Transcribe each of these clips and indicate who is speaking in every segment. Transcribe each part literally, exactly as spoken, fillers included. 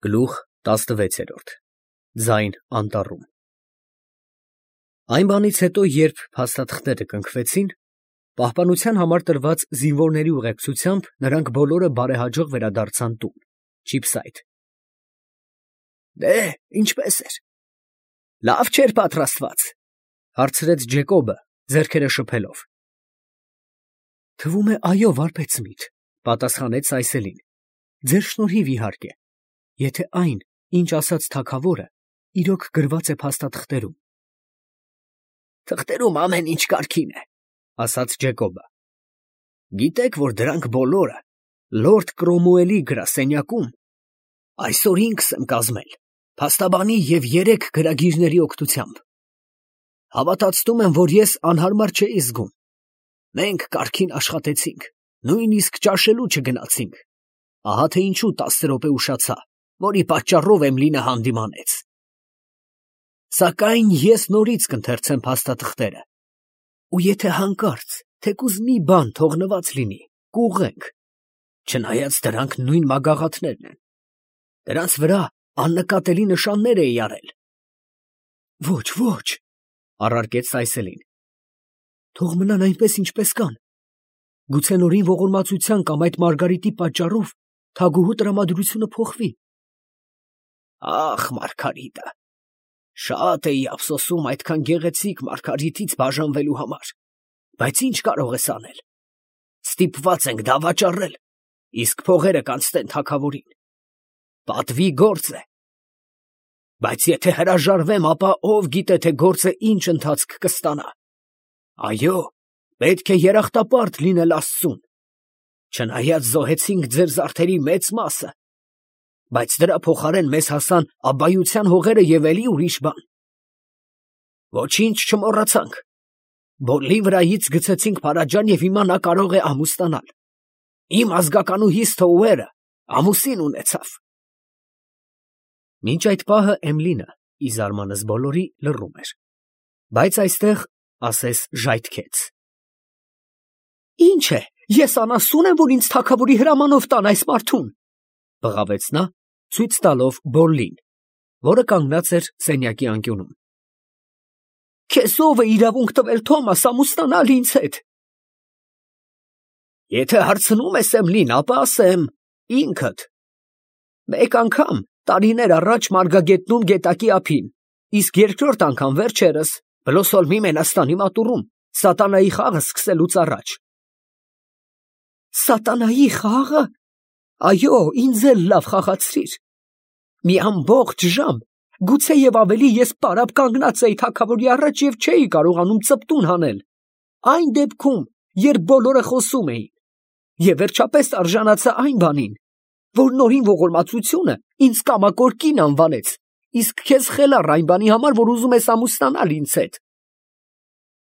Speaker 1: Գլուխ տասնվեցերորդ Ձայն անտառում Այն բանից հետո, երբ փաստաթղթերը կնքվեցին, պահպանության համար տրված զինվորների ուղեկցությամբ նրանք բոլորը բարեհաջող վերադարձան տուն, Չիփսայդ։ Դե՛, ինչպե՞ս էր, լավ չէր պատրաստված, հարցրեց Ջեկոբը, ձեռքերը շփելով։ Թվում է, այո, վարպետցմիդ, պատասխանեց Այսելին, ձեր շնորհիվ իհարկե, եթե այն, ինչ ասաց թագավորը, իրոք գրված է փաստաթղթերում։ Թղթերում ամեն ինչ կարգին է, ասաց Ջեկոբը։ Գիտեք, որ դրանք բոլորը լորդ Կրոմուելի գրասենյակում այսօր ինքս եմ կազմել, փաստաբանի և երեք գրագիրների օգնությամբ։ Հավատացնում եմ, որ ես անհարմար չէի զգում։ Մենք կարգին աշխատեցինք, նույնիսկ ճաշելու չգնացինք։ Ահա թե ինչու տասը րոպե ուշացա, որի պատճառով Էմլինը հանդիմանեց։ Սակայն ես նորից կընթերցեմ փաստաթղթերը, ու եթե հանկարծ թեկուզ մի բան թողնված լինի, կուղղենք, չնայած դրանք նույն մագաղաթներն են, դրանց վրա աննկատելի նշաններ էի արել։ Ոչ, ոչ, առարկեց Այսելին, թող մնան այնպես, ինչպես կան, գուցե նորին ողորմածության կամ այդ Մարգարիտի պատճառով թագուհու տրամադրությունը փոխվի։ Ախ, Մարգարիտը, շատ էի ափսոսում այդքան գեղեցիկ Մարգարիտից բաժանվելու համար, բայց ինչ կարող ես անել։ Ստիպված ենք դավաճառել, իսկ փողերը կանցնեն թագավորին։ Պատվի գործ է։ Բայց եթե հրաժարվեմ, ապա ով գիտե, թե գործը ինչ ընթացք կստանա։ Այո, պետք է երախտապարտ լինել Աստծուն։ Չնայած զոհեցինք ձեր զարդերի մեծ մասը, բայց դրա փոխարեն մեզ հասան աբայության հողերը և էլի ուրիշ բան։ Ոչինչ չմոռացանք։ Բոլի վրայից գցեցինք փարաջան և հիմա նա կարող է ամուսնանալ։ Իմ ազգականուհիս Թոուերը ամուսին ունեցավ։ Մինչ այդ պահը Էմլինը, ի զարմանս բոլորի, լռում էր, բայց այստեղ ասես ժայթքեց։ Ինչ է, ես անասուն եմ, որ ինձ թագավորի հրամանով տան այս մարդուն, բղավեց նա, ցույց տալով Բոլլին, որը կանգնած էր սենյակի անկյունում։ Քեզ ով է իրավունք տվել Թոմաս ամուսնանալ ինձ հետ։ Եթե հարցնում ես Էմլին, ապա ասեմ, ինքդ։ Մեկ անգամ տարիներ առաջ Մարգագետնում գետակի ափին, իսկ երկրորդ անգամ վերջերս Բլոսոլմի Մենաստանի մատուռում, սատանայի խաղը սկսելուց առաջ։ Սատանայի խաղը։ Այո, ինձ էլ լավ խաղացրիր։ Մի ամբողջ ժամ, գուցե և ավելի ես պարապ կանգնած էի թագավորի առաջ և չէի կարողանում ծպտուն հանել։ Այն դեպքում, երբ բոլորը խոսում էին, և վերջապես արժանացա այն բանին, որ նորին ողորմածությունը ինձ կամակոր կին անվանեց, իսկ քեզ խելառ այն բանի համար, որ ուզում ես ամուսնանալ ինձ հետ։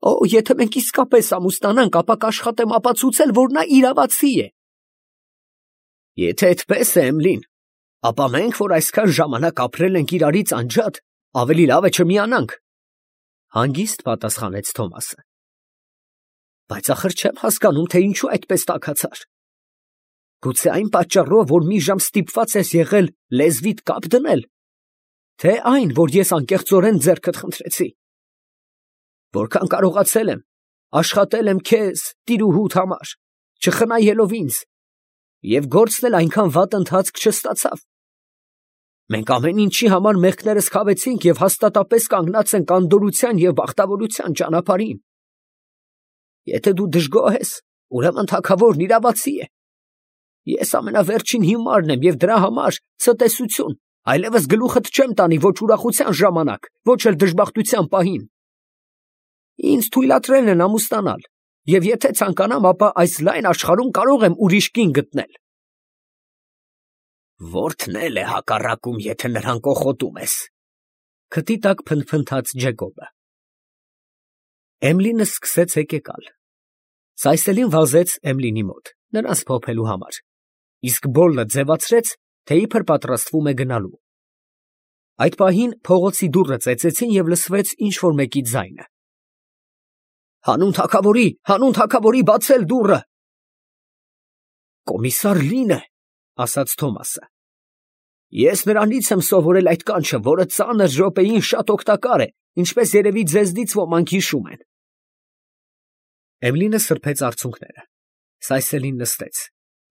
Speaker 1: Օ, եթե մենք իսկապես ամուսնանանք, ապա կաշխատեմ ապացուցել, որ նա իրավացի է։ Եթե այդպես է, Էմլին, ապա մենք, որ այսքան ժամանակ ապրել ենք իրարից անջատ, ավելի լավ է չմիանանք, հանգիստ պատասխանեց Թոմասը։ Բայց ախր չեմ հասկանում, թե ինչու այդպես տաքացար։ Գուցե այն պատճառով, որ մի ժամ ստիպված ես եղել լեզվիդ կապ դնել, թե այն, որ ես անկեղծորեն ձեռքդ խնդրեցի։ Որքան կարողացել եմ, աշխատել եմ քեզ, տիրուհուդ համար, չխնայելով ինձ, և գործն էլ այնքան վատ ընթացք չստացավ։ Մենք ամեն ինչի համար մեղքներս քավեցինք և հաստատապես կանգնած ենք անդորրության և բախտավորության ճանապարհին։ Եթե դու դժգոհ ես, ուրեմն թագավորն իրավացի է։ Ես ամենավերջին հիմարն եմ և դրա համար ցտեսություն, այլևս գլուխդ չեմ տանի ոչ ուրախության ժամանակ, ոչ էլ դժբախտության պահին։ Ինձ թույլատրել են ամուսնանալ, և եթե ցանկանամ, ապա այս լայն աշխարհում կարող եմ ուրիշ կին գտնել։ Որդն էլ է հակառակում, եթե նրան կոխոտում ես, քթի տակ փնթփնթաց Ջեկոբը։ Էմլինը սկսեց հեկեկալ։ Սայսելին վազեց Էմլինի մոտ, նրան սփոփելու համար, իսկ Բոլլը ձևացրեց, թե իբր պատրաստվում է գնալու։ Այդ պահին փողոցի դուռը ծեծեցին և լսվեց ինչ֊որ մեկի ձայնը։ Հանուն թագավորի, հանուն թագավորի, բացել դուռը։ Կոմիսար Լինը, ասաց Թոմասը։ Ես նրանից եմ սովորել այդ կանչը, որը ծանր րոպեին շատ օգտակար է, ինչպես երևի ձեզնից ոմանք հիշում են։ Էմիլինը սրբեց արցունքները, Սայսելին նստեց,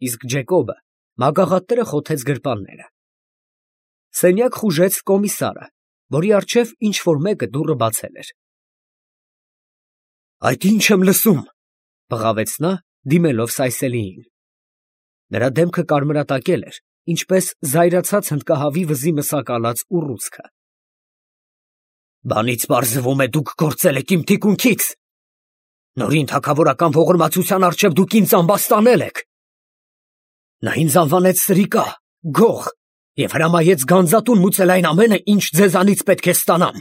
Speaker 1: իսկ Ջեկոբը մագաղատները խոթեց գրպանները։ Սենյակ խուժեց կոմիսարը, որի առջև ինչ-որ մեկը դուռը բացել էր։ «Այդ ի՞նչ եմ լսում», բղավեց նա, դիմելով Սայսելիին։ Նրա դեմքը կարմրատակել էր, ինչպես զայրացած հնդկահավի վզի մսակալած ուռուցքը։ «Բանից պարզվում է, դուք գործել եք իմ թիկունքից։ Նորին թագավորական ողորմածության առջև դուք ինձ ամբաստանել եք։ Նա ինձ անվանեց սրիկա, գող և հրամայեց գանձատուն մուծել այն ամենը, ինչ ձեզանից պետք է ստանամ։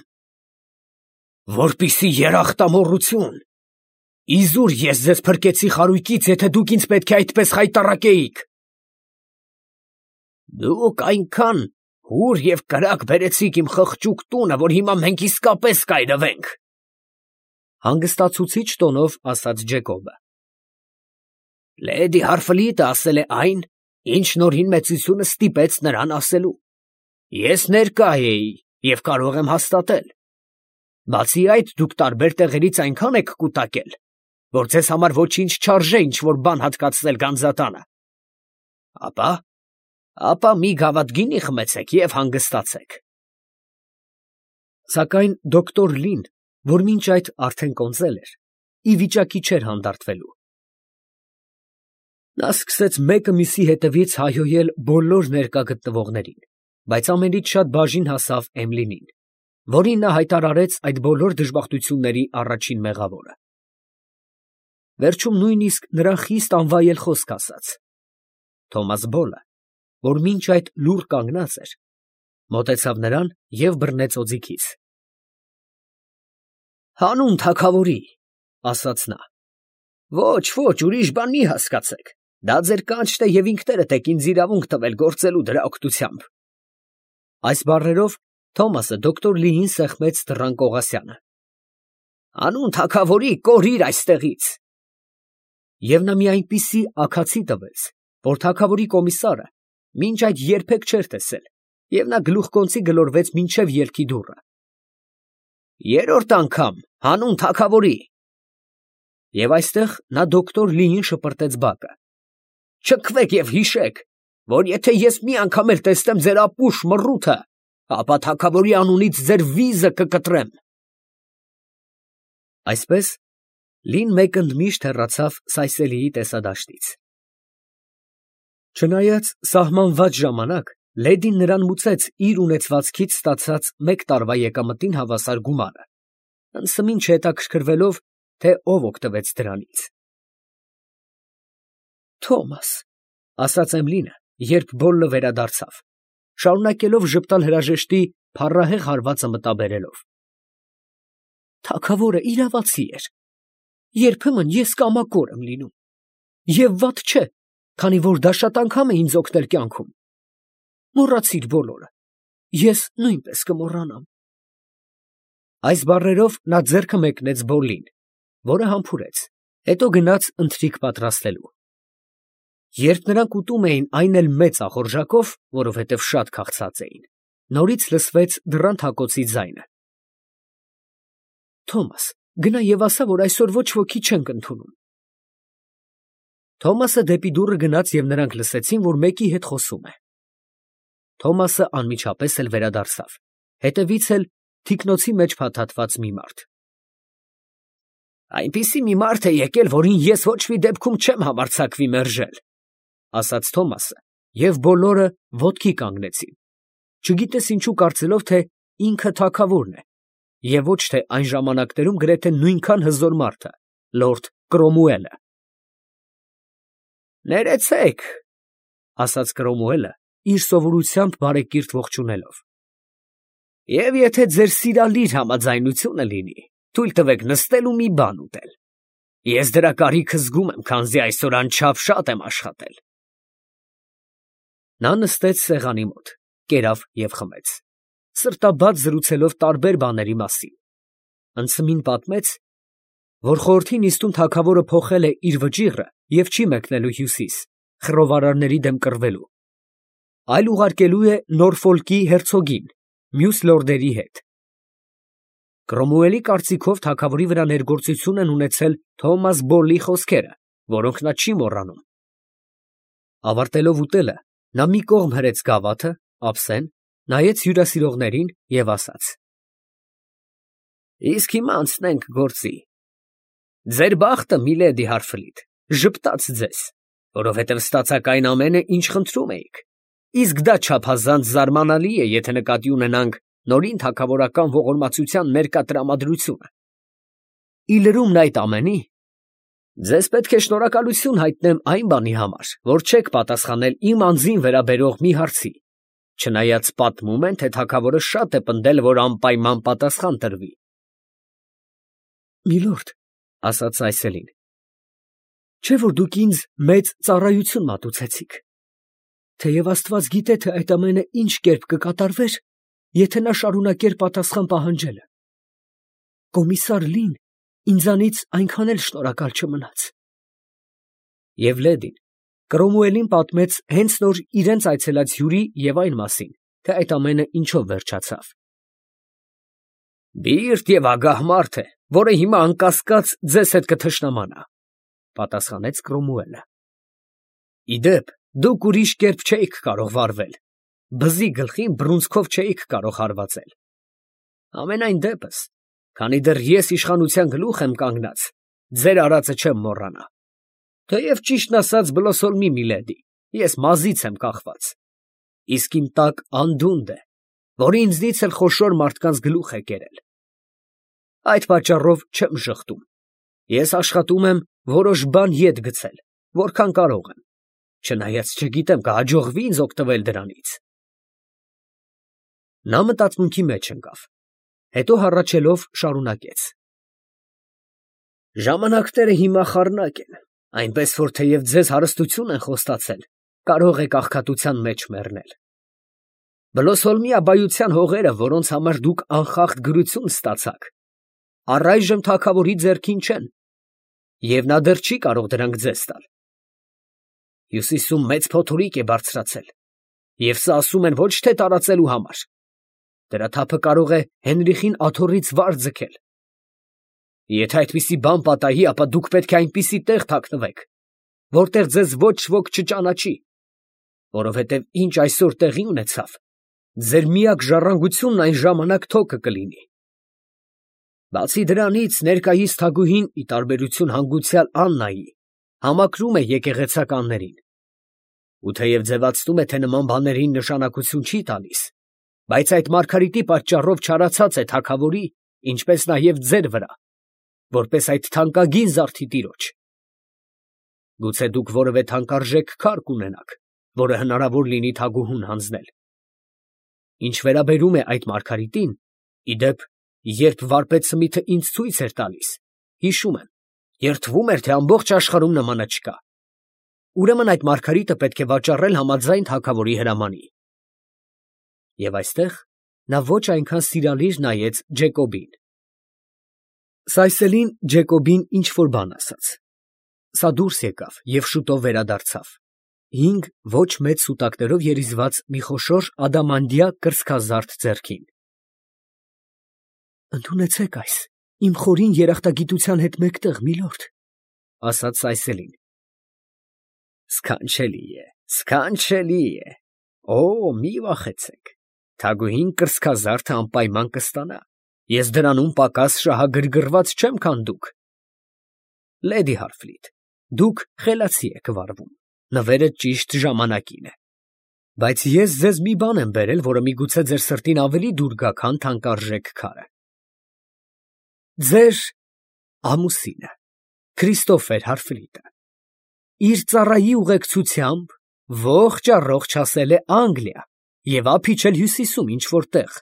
Speaker 1: Որպիսի երախտամոռություն, իզուր ես ձեզ փրկեցի խարույկից, եթե դուք ինձ պետք է այդպես խայտառակեիք։ Դուք այնքան հուր և կրակ բերեցիք իմ խղճուկ տունը, որ հիմա մենք իսկապես կայրվենք, հանգստացուցիչ տոնով ասաց Ջեկոբը։ Լեդի Հարֆլիտը ասել է այն, ինչ Նորին մեծությունը ստիպեց նրան ասելու։ Ես ներկա էի և կարող եմ հաստատել։ Բացի այդ, դուք տարբեր տեղերից այնքան եք կուտակել, որ ձեզ համար ոչինչ չարժե ինչ-որ բան հատկացնել գանձատանը։ Ապա, ապա մի գավաթ գինի խմեցեք և հանգստացեք։ Սակայն դոկտոր Լին, որ մինչ այդ արդեն կոնծել էր, ի վիճակի չէր հանդարտվելու։ Նա սկսեց մեկը մյուսի հետևից հայհոյել բոլոր ներկա գտնվողներին, բայց ամենից շատ բաժին հասավ Էմլինին, որին նա հայտարարեց այդ բոլոր դժբախտությունների առաջին մեղավորը։ Վերջում նույնիսկ նրան խիստ անվայել խոսք ասաց։ Թոմաս Բոլը, որ մինչ այդ լուռ կանգնած էր, մոտեցավ նրան և բռնեց օձիքից։ Հանուն թագավորի, ասաց նա։ Ոչ, ոչ, ուրիշ բան մի հասկացեք, դա ձեր կանչն է և ինքներդ եք ինձ իրավունք տվել գործելու դրա օգնությամբ։ Այս բառերով Թոմասը դոկտոր Լիին սեղմեց դռան կողասյանը։ Հանուն թագավորի կորիր այստեղից։ Եվ նա մի այնպիսի աքացի տվեց, որ թագավորի կոմիսարը մինչ այդ երբեք չէր տեսել, և նա գլուխկոնծի գլորվեց մինչև ելքի դուռը։ Երրորդ անգամ, հանուն թագավորի։ Եվ այստեղ նա դոկտոր Լիին շպրտեց բակը։ Չքվեք և հիշեք, որ եթե ես մի անգամ էլ տեսնեմ ձեր ապուշ մռութը, ապա թագավորի անունից ձեր վիզը կկտրեմ։ Այսպես Լին մեկ ընդմիշտ հեռացավ Սայսելիի տեսադաշտից։ Չնայած սահմանված ժամանակ, լեդին նրան մուծեց իր ունեցվածքից ստացած մեկ տարվա եկամտին հավասար գումարը, անսմին չհետաքրքրվելով, թե ով օգտվեց դրանից։ Թոմաս, ասաց Էմլինը, երբ Բոլլը վերադարձավ, շարունակելով ժպտալ հրաժեշտի փառահեղ հարվածը մտաբերելով։ Թագավորը իրավացի էր։ Երբեմն ես կամակոր եմ լինում։ Եվ վատ չէ, քանի որ դա շատ անգամ է ինձ օգնել կյանքում։ Մոռացիր բոլորը, ես նույնպես կմոռանամ։ Այս բառերով նա ձեռքը մեկնեց Բոլլին, որը համբուրեց, հետո գնաց ընթրիք պատրաստելու։ Երբ նրանք ուտում էին այն էլ մեծ ախորժակով, որովհետև շատ քաղցած էին, նորից լսվեց դռան թակոցի ձայնը։ Թոմաս, գնա և ասա, որ այսօր ոչ ոքի չենք ընդունում։ Թոմասը դեպի դուռը գնաց և նրանք լսեցին, որ մեկի հետ խոսում է։ Թոմասը անմիջապես էլ վերադարձավ, հետևից էլ թիկնոցի մեջ փաթաթված մի մարդ։ Այնպիսի մի մարդ է եկել, որին ես ոչ մի դեպքում չեմ համարձակվի մերժել, ասաց Թոմասը, և բոլորը ոտքի կանգնեցին, չգիտես ինչու կարծելով, թե ինքը թագավորն է, և ոչ թե այն ժամանակներում գրեթե նույնքան հզոր մարդը, լորդ Կրոմուելը։ Ներեցեք, ասաց Կրոմուելը, իր սովորությամբ բարեկիրթ ողջունելով։ Եվ եթե ձեր սիրալիր համաձայնությունը լինի, թույլ տվեք նստել ու մի բան ուտել։ Ես դրա կարիքը զգում եմ, քանզի այսօր անչափ շատ եմ աշխատել։ Նա նստեց սեղանի մոտ, կերավ և խմեց, սրտաբաց զրուցելով տարբեր բաների մասին։ Անցմին պատմեց, որ խորհրդի նիստում թագավորը փոխել է իր վճիռը և չի մեկնելու հյուսիս, խռովարարների դեմ կռվելու։ այլ ուղարկելու է Նորֆոլկի հերցոգին, մյուս լորդերի հետ։ Կրոմուելի կարծիքով թագավորի վրա ներգործություն են ունեցել Թոմաս Բոլլի խոսքերը, որոնք նա չի մոռանում։ Ավարտելով ուտելը, նա մի կողմ հրեց գավաթը, ափսեն, նայեց հյուրասիրողներին և ասաց. «Իսկ հիմա անցնենք գործի։ Ձեր բախտը, միլեդի Հարֆլիտ, ժպտաց ձեզ, որովհետև ստացաք այն ամենը, ինչ խնդրում էիք, իսկ դա չափազանց զարմանալի է, եթե նկատի ունենանք նորին թագավորական ողորմածության ներկա տրամադրությունը։ Ի լրումն այդ ամենի, ձեզ պետք է շնորհակալություն հայտնեմ այն բանի համար, որ չեք պատասխանել իմ անձին վերաբերող մի հարցի, չնայած պատմում են, թե թագավորը շատ է պնդել, որ անպայման պատասխան տրվի»։ «Միլորդ, ֊ ասաց Այսելին, ֊ չէ՞ որ դուք ինձ մեծ ծառայություն մատուցեցիք, թեև աստված գիտե, թե այդ ամենը ինչ կերպ կկատարվեր, եթե նա շարունակեր պատասխան պահանջելը։ Կոմիսար Լին ինձանից այնքան էլ շնորհակալ չմնաց»։ Եվ լեդին Կրոմուելին պատմեց հենց նոր իրենց այցելած հյուրի և այն մասին, թե այդ ամենը ինչով վերջացավ։ «Բիրտ և ագահ մարդ է, որը հիմա անկասկած ձեզ հետ կթշնամանա, ֊ պատասխանեց Կրոմուելը։ ֊ Ի դեպ, դուք ուրիշ կերպ չէիք կարող վարվել, բզի գլխին բռունցքով չէիք կարող հարվածել։ Համենայն դեպս, քանի դեռ ես իշխանության գլուխ եմ կանգնած, ձեր արածը չեմ մոռանա։ Թեև ճիշտն ասած, Բլոսոլմի միլեդի, ես մազից եմ կախված, իսկ իմ տակ անդունդը է, որը ինձնից էլ խոշոր մարդկանց գլուխ է կերել։ Այդ պատճառով չեմ ժխտում, ես աշխատում եմ որոշ բան ետ գցել, որքան կարող եմ, չնայած չգիտեմ կհաջողվի՞ ինձ օգտվել դրանից։ Նա մտածմունքի մեջ ընկավ, հետո հառաչելով շարունակեց. «Ժամանակները հիմա խառնակ են, այնպես որ թեև ձեզ հարստություն են խոստացել, կարող եք աղքատության մեջ մեռնել։ Բլոսոլմի աբայության հողերը, որոնց համար դուք անխախտ գրություն ստացաք, առայժմ թագավորի ձեռքին չեն, և նա դեռ չի կարող դրանք ձեզ տալ։ Հյուսիսում մեծ փոթորիկ է բարձրացել, և սա ասում են ոչ թե տարածելու համար, դրա թափը կարող է Հենրիխին աթոռից վար ձգել։ Եթե այդպիսի բան պատահի, ապա դուք պետք է այնպիսի տեղ թաքնվեք, որտեղ ձեզ ոչ ոք չճանաչի, որովհետև ինչ այսօր տեղի ունեցավ, ձեր միակ ժառանգությունն այն ժամանակ թոքը կլինի։ Բացի դրանից, ներկայիս թագուհին, ի տարբերություն հանգուցյալ Աննայի, համակրում է եկեղեցականներին, ու թեև ձևացնում է, թե նման բաներին նշանակություն չի տալիս, բայց այդ մարգարիտի պատճառով չարացած է թագավորի, ինչպես նաև ձեր վրա, որպես այդ թանկագին զարդի տիրոջ։ Գուցե դուք որևէ թանկարժեք քար կունենաք, որը հնարավոր լինի թագուհուն հանձնել։ Ինչ վերաբերում է այդ մարգարիտին, ի դեպ, երբ վարպետ Սմիթը ինձ ցույց էր տալիս, հիշում եմ, երդվում էր, թե ամբողջ աշխարհում նմանը չկա։ Ուրեմն այդ մարգարիտը պետք է վաճառել համաձայն թագավորի հրամանի։ Եվ այստեղ նա ոչ այնքան սիրալիր նայեց Ջեկոբին։ Սայսելին Ջեկոբին ինչ֊որ բան ասաց։ Սա դուրս եկավ և շուտով վերադարձավ, հինգ ոչ մեծ սուտակներով երիզված մի խոշոր ադամանդյա կրծքազարդ ձեռքին։ «Ընդունեցեք այս, իմ խորին երախտագիտության հետ մեկտեղ, միլորդ, ֊ ասաց Սայսելին։ ֊ Սքանչելի է, սքանչելի է, օ, մի վախեցեք, թագուհին կրծքազարդը անպայման կստանա, ես դրանում պակաս շահագրգռված չեմ, քան դուք։ Լեդի Հարֆլիտ, դուք խելացի եք վարվում, նվերը ճիշտ ժամանակին է, բայց ես ձեզ մի բան եմ բերել, որը միգուցե ձեր սրտին ավելի դուր գա, քան թանկարժեք քարը։ Ձեր ամուսինը, Քրիստոֆեր Հարֆլիտը, իր ծառայի ուղեկցությամբ ողջ առողջ հասել է Անգլիա և ափ իջել հյուսիսում ինչ֊որ տեղ։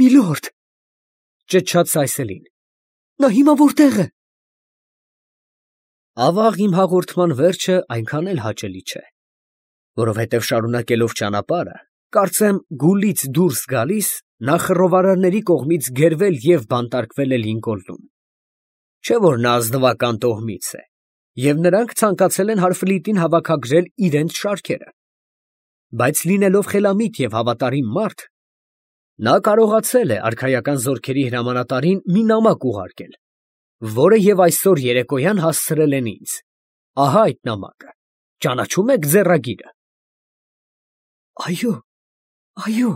Speaker 1: Միլորդ, ֊ ճչաց Սայսելին, ֊ նա հիմա որտե՞ղ է։ Ավաղ, իմ հաղորդման վերջը այնքան էլ հաճելի չէ, որովհետև շարունակելով ճանապարհը, կարծեմ Գուլից դուրս գալիս, նա խռովարարների կողմից գերվել և բանտարկվել է Լինկոլնում։ Չէ՞ որ նա ազնվական տոհմից է, և նրանք ցանկացել են Հարֆլիտին հավաքագրել իրենց շարքերը։ Բայց լինելով խելամիտ և հավատարիմ մարդ, նա կարողացել է արքայական զորքերի հրամանատարին մի նամակ ուղարկել, որը և այսօր երեկոյան հասցրել են ինձ. ահա այդ նամակը, ճանաչո՞ւմ եք ձեռագիրը։ Այո, այո,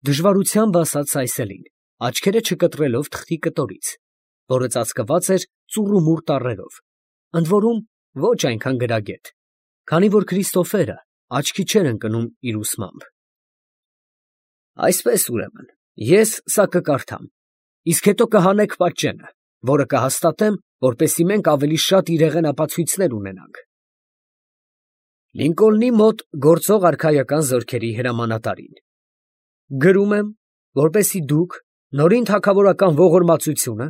Speaker 1: դժվարությամբ ասաց Այսելին, աչքերը չկտրելով թղթի կտորից, որը ծածկված էր ծուռումուռ տառերով, ընդ որում ոչ այնքան գրագետ, քանի որ Քրիստոֆերը աչքի չէր ընկնում իր ուսմամբ։ Այսպես ուրեմն, ես սա կկարդամ, իսկ հետո կհանեք պատճենը, որը կհաստատեմ, որպեսզի մենք ավելի շատ իրեղեն ապացույցներ ունենանք։ Լինկոլնի մոտ գործող արքայական զորքերի հրամանատարին։ Գրում եմ, որպեսզի դուք նորին թագավորական ողորմածությունը,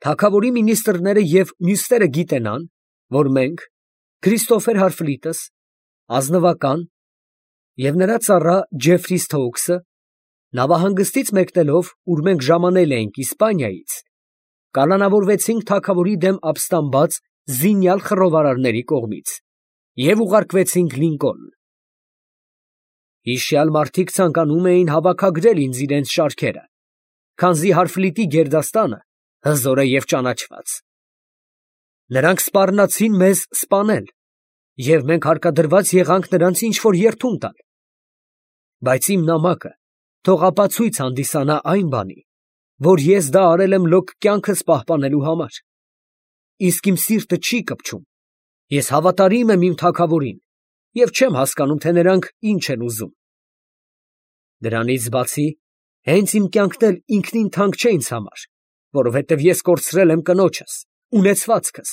Speaker 1: թագավորի մինիստրները և մյուսները գիտենան, որ մենք, Քրիստոֆեր Հարֆլիտս, ազնվական և նրա ծառա Ջեֆրի Սթոուքսը, նավահանգստից մեկնելով, ուր մենք ժամանել էինք Իսպանիայից, կալանավորվեցինք թագավորի դեմ ապստամբած զինյալ խռովարարների կողմից և ուղարկվեցինք Լինկոլն։ Հիշյալ մարդիկ ցանկանում էին հավաքագրել ինձ իրենց շարքերը, քանզի Հարֆլիտի գերդաստանը հզոր է և ճանաչված։ Նրանք սպառնացին մեզ սպանել, և մենք հարկադրված եղանք նրանց ինչ֊որ երդում տալ։ Բայց իմ նամակը թող ապացույց հանդիսանա այն բանի, որ ես դա արել եմ լոկ կյանքս պահպանելու համար։ Իսկ իմ սիրտը չի կպչում, ես հավատարիմ եմ իմ թագավորին և չեմ հասկանում, թե նրանք ինչ են ուզում։ Դրանից բացի, հենց իմ կյանքն էլ ինքնին թանկ չէ ինձ համար, որովհետև ես կորցրել եմ կնոջս, ունեցվածքս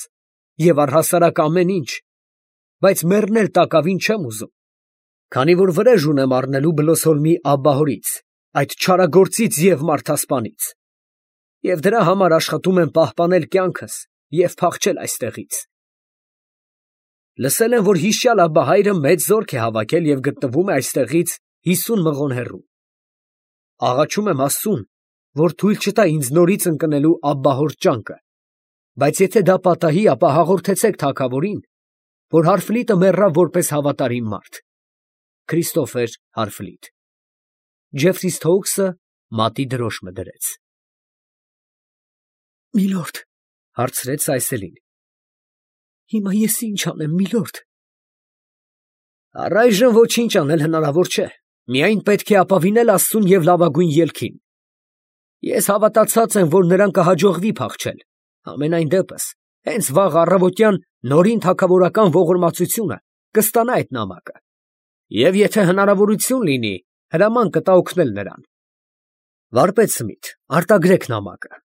Speaker 1: և առհասարակ ամեն ինչ, բայց մեռնել տակավին չեմ ուզում, քանի որ վրեժ ունեմ առնելու Բլոսոլմի աբբահորից, այդ չարագործից և մարդասպանից, և դրա համար աշխատում եմ պահպանել կյանքս և փախչել այստեղից։ Լսել եմ, որ հիշյալ Աբբահայրը մեծ զորք է հավաքել և գտնվում է այստեղից հիսուն մղոն հեռու։ Աղաչում եմ Աստծուն, որ թույլ չտա ինձ նորից ընկնելու աբբահոր ճանկը, բայց եթե դա պատահի, ապա հաղորդեցեք թագավորին, որ Հարֆլիտը մեռավ որպես հավատարիմ մարդ։ Քրիստոֆեր Հարֆլիտ։ Ջեֆրի Սթոուքսը մատի դրոշմը դրեց։ Միլորդ, հարցրեց Այսելին, հիմա ես ինչ անեմ, միլորդ։ Առայժմ ոչինչ անել հնարավոր չէ, միայն պետք է ապավինել Աստծուն և լավագույն ելքին։ Ես հավատացած եմ, որ նրան կհաջողվի փախչել, համենայն դեպս, հենց վաղ առավոտյան նորին թագավորական ողորմածությունը կստանա այդ նամակը, և եթե հնարավորություն լինի, հրաման կտա օգնել նրան։ Վարպետ Սմիթ, արտագրեք նամակը։